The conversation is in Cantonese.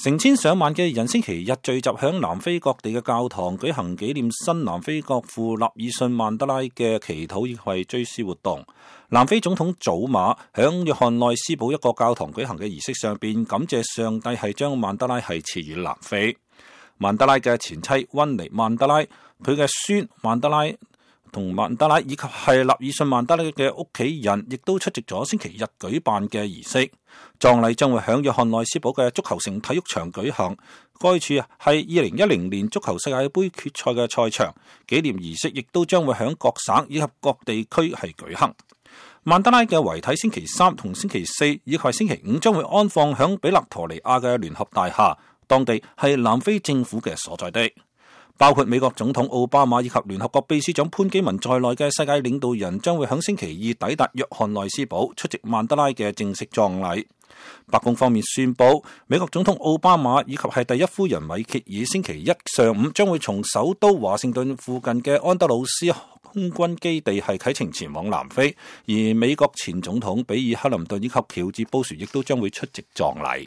成千上萬嘅人星期日聚集響南非各地嘅教堂舉行紀念新南非國父納爾遜曼德拉嘅祈禱以及追思活動。南非總統祖馬響約翰內斯堡一個教堂舉行嘅儀式上邊，感謝上帝係將曼德拉係賜予南非。曼德拉嘅前妻溫尼曼德拉，佢嘅孫曼德拉同曼德拉以及係納爾遜曼德拉嘅屋企人，亦都出席咗星期日舉辦嘅儀式。葬禮將會響約翰內斯堡嘅足球城體育場舉行，該處係2010年足球世界盃決賽嘅賽場。紀念儀式亦都將會響各省以及各地區係舉行。曼德拉嘅遺體星期三同星期四以及星期五將會安放響比勒陀尼亞嘅聯合大廈，當地係南非政府嘅所在地。包括美國總統奧巴馬以及聯合國秘書長潘基文在內嘅世界領導人將會喺星期二抵達約翰內斯堡出席曼德拉嘅正式葬禮。白宮方面宣布，美國總統奧巴馬以及係第一夫人米歇爾星期一上午將會從首都華盛頓附近嘅安德魯斯空軍基地係啟程前往南非，而美國前總統比爾克林頓以及喬治布殊亦都將會出席葬禮。